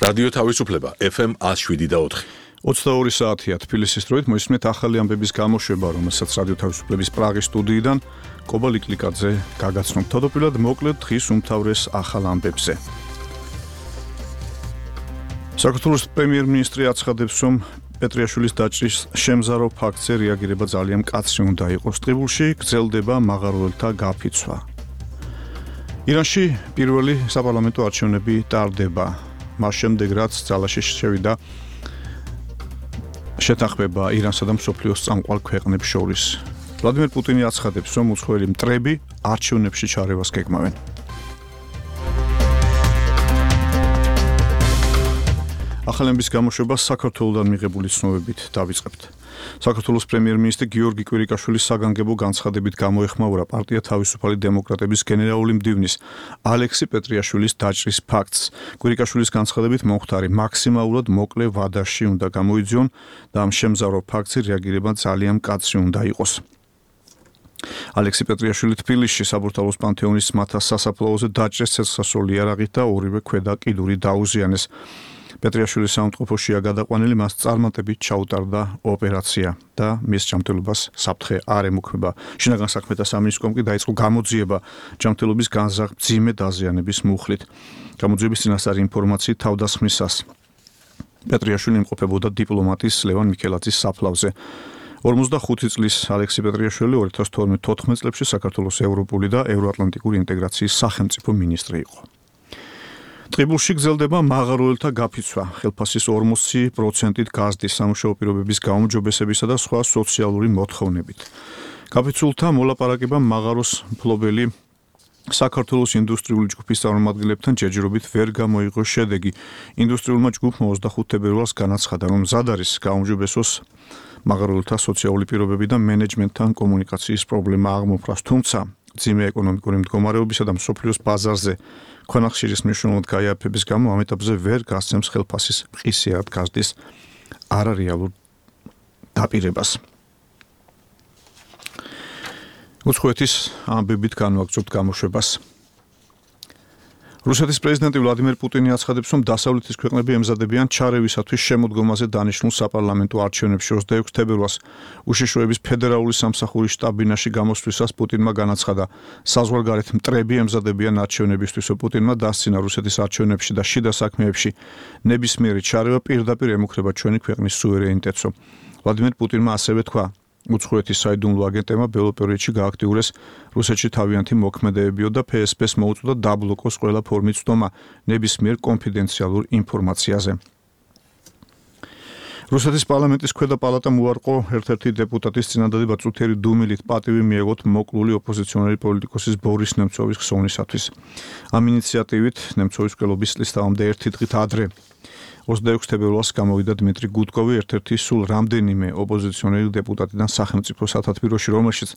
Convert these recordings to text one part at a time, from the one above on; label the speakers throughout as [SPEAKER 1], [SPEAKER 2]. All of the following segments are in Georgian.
[SPEAKER 1] რადიო თავისუფლება FM 107.4.
[SPEAKER 2] 22 საათია თბილისის დროით მოისმენთ ახალი ამბების გამოშვება, რომელსაც რადიო თავისუფლების პრაღის სტუდიიდან კობა ლიკლიკაძე გაგაცნობთ. თავდაპირველად მოკლედ დღის უმთავრეს ახალ ამბებზე. საქართველოს პრემიერ-მინისტრი აცხადებს, რომ პეტრიაშვილის დაჭრის შემზარო ფაქტზე რეაგირება ძალიან მკაცრი უნდა იყოს. ტყიბულში გრძელდება მაღაროელთა გაფიცვა. ირანში პირველი საპარლამენტო არჩევნები ტარდება. მას შემდეგ, რაც ძალაში შევიდა შეთანხმება ირანსა და მსოფლიოს წამყვან ქვეყნებს შორის. ვლადიმერ პუტინი აცხადებს, რომ უცხოელი მტრები არჩევნებში ჩარევას გეგმავენ. ახალების გამოშვება საქართველოსთან მიღებული ცნობებით დავიწყებთ. საქართველოს პრემიერ-მინისტრი გიორგი კვირიკაშვილის საგანგებო განცხადებით გამოეხმაურა პარტია თავისუფალი დემოკრატების გენერალური მდივნის ალექსი პეტრიაშვილის დაჭრის ფაქტს. კვირიკაშვილის განცხადებით მომხდარი მაქსიმალურად მოკლე ვადაში უნდა გამოიძიონ და ამ შემზარო ფაქტზე რეაგირება ძალიან მკაცრი უნდა იყოს. ალექსი პეტრიაშვილი თბილისში საბურთალოს პანთეონის მათას სასაფლაოზე დაჭრეს ცეცხლსასროლი იარაღით და ორივე ქვედა კიდური დაუზიანეს. პეტრიაშვილის საუნტყოფოშია გადაყვანილი, მას წარმატებით ჩაუტარდა ოპერაცია და მის ჯანმრთელობას საფრთხე არ ემუქრება. შინაგან საქმეთა სამინისტრომ კი დაიწყო გამოძიება ჯანმრთელობის განზრახ მძიმე დაზიანების მუხლით. გამოძიების წინასწარი ინფორმაციით თავდასხმისას პეტრიაშვილი იმყოფებოდა დიპლომატის ლევან მიქელაძის საფლავზე. 45 წლის ალექსი პეტრიაშვილი 2012-14 წლებში საქართველოს ევროპული და ევროატლანტიკური ინტეგრაციის სახელმწიფო მინისტრი იყო. ტყიბულში გრძელდება მაღაროელთა გაფიცვა. ხელფასის 40%-ით გაზრდის სამუშაო პირობების გაუმჯობესებისა და სხვა სოციალური მოთხოვნებით. გაფიცულთა მოლაპარაკება მაღაროს მფლობელი საქართველოს ინდუსტრიული ჯგუფის წარმომადგენლებთან ჯერჯერობით ვერ გამოიღო შედეგი. ინდუსტრიულმა ჯგუფმა 25 თებერვალს განაცხადა, რომ მზად არის გაუმჯობესოს მაღაროელთა სოციალური პირობები და მენეჯმენტთან კომუნიკაციის პრობლემა აღმოფრას, თუმცა მძიმე ეკონომიკური მდგომარეობისა და მსოფლიოს ბაზარზე ქვანახშირის მნიშვნელოვნად გაიაფების გამო ამ ეტაპზე ვერ გასცემს ხელფასის მყისიარად გაზრდის არარეალურ დაპირებას. უცხოეთის ამბებით განვაგრძობთ გამოშვებას. რუსეთის პრეზიდენტი ვლადიმერ პუტინი აცხადებს, რომ დასავლეთის ქვეყნები ემზადებიან ჩარევისათვის შემოდგომაზე დანიშნულ საპარლამენტო არჩევნებში 26 თებერვალს უშიშროების ფედერალური სამსახურის შტაბ-ბინაში გამოსვლისას პუტინმა განაცხადა, საზღვარგარეთ მტრები ემზადებიან არჩევნებისთვის. პუტინმა დასცინა რუსეთის არჩევნებში და შიდა საქმეებში ნებისმიერი ჩარევა პირდაპირ ემუქრება ჩვენი ქვეყნის სუვერენიტეტს. ვლადიმერ პუტინმა ასევე თქვა, უცხოეთის საიდუმლო აგენტებმა ბოლო პერიოდში გააქტიურეს რუსეთში თავიანთი მოქმედებებიო და ფსბ-ს მოუწოდა დაბლოკოს ყველა ფორმით ცდომა ნებისმიერ კონფიდენციალურ ინფორმაციაზე. რუსეთის პარლამენტის ქვედა პალატამ უარყო ერთ-ერთი დეპუტატის წინადადება წუთიერი დუმილით პატივი მიეღოთ მოკლული ოპოზიციონერი პოლიტიკოსის ბორის ნემცოვის ხსოვნისათვის. ამ ინიციატივით ნემცოვის მკვლობის წლისთავამდე ერთი დღით ადრე 26 თებერვალს გამოვიდა დმიტრი გუდკოვი, ერთ-ერთი სულ რამდენიმე ოპოზიციონერი დეპუტატიდან სახელმწიფო სათათბიროში, რომელშიც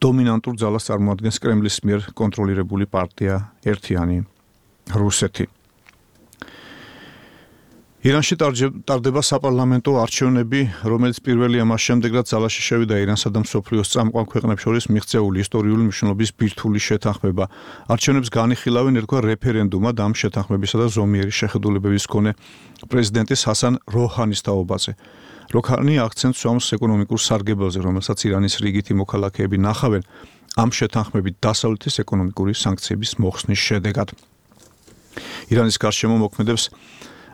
[SPEAKER 2] დომინანტურ ძალას წარმოადგენს კრემლის მიერ კონტროლირებული პარტია ერთიანი რუსეთი. ირანში ტარდება საპარლამენტო არჩევნები, რომელიც პირველია მას შემდეგ, რაც ძალაში შევიდა ირანსა და მსოფლიოს წამყვან ქვეყნებს შორის მიღწეული ისტორიული მნიშვნელობის ბირთვული შეთანხმება. არჩევნებს განიხილავენ ერქვა რეფერენდუმად ამ შეთანხმებისა და ზომიერი შეხედულებების მქონე პრეზიდენტის ჰასან როჰანის თაობაზე. როჰანი აქცენტს უსვამს ეკონომიკურ სარგებელზე, რომელსაც ირანის რიგითი მოქალაქეები ნახავენ ამ შეთანხმებით დასავლეთის ეკონომიკური სანქციების მოხსნის შედეგად. ირანის გარშემო მოქმედებს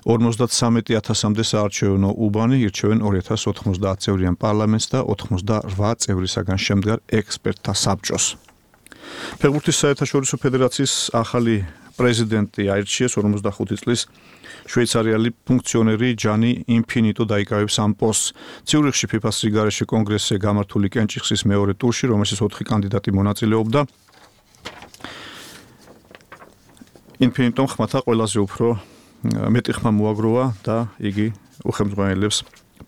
[SPEAKER 2] 53,000-მდე საარჩევნო უბანი, ირჩევენ 2090 წევრიან პარლამენტს და 88 წევრისაგან შემდგარ ექსპერტთა საბჭოს. ფეხბურთის საერთაშორისო ფედერაციის ახალი პრეზიდენტი აირჩიეს 45 წლის შვეიცარიელი ფუნქციონერი ჯანი ინფინიტო დაიკავებს ამ პოსტს. ციურიხში ფიფას რიგარეში კონგრესზე გამართული კენჭიხლის მეორე ტურში, რომელშიც 4 კანდიდატი მონაწილეობდა, ინფინიტომ ხმათა ყველაზე უფრო მეტი ხმა მოაგროვა და იგი უხელმძღვანელებს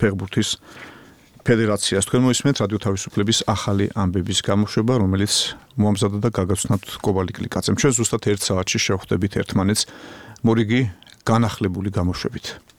[SPEAKER 2] ფეხბურთის ფედერაციას. თქვენ მოისმენთ რადიო თავისუფლების ახალი ამბების გამოშვება, რომელიც მოამზადა და გაგაცნობთ კობა ლიკლიკაძემ. ჩვენ ზუსტად 1 საათში შევხვდებით ერთმანეთს მორიგი განახლებული გამოშვებით.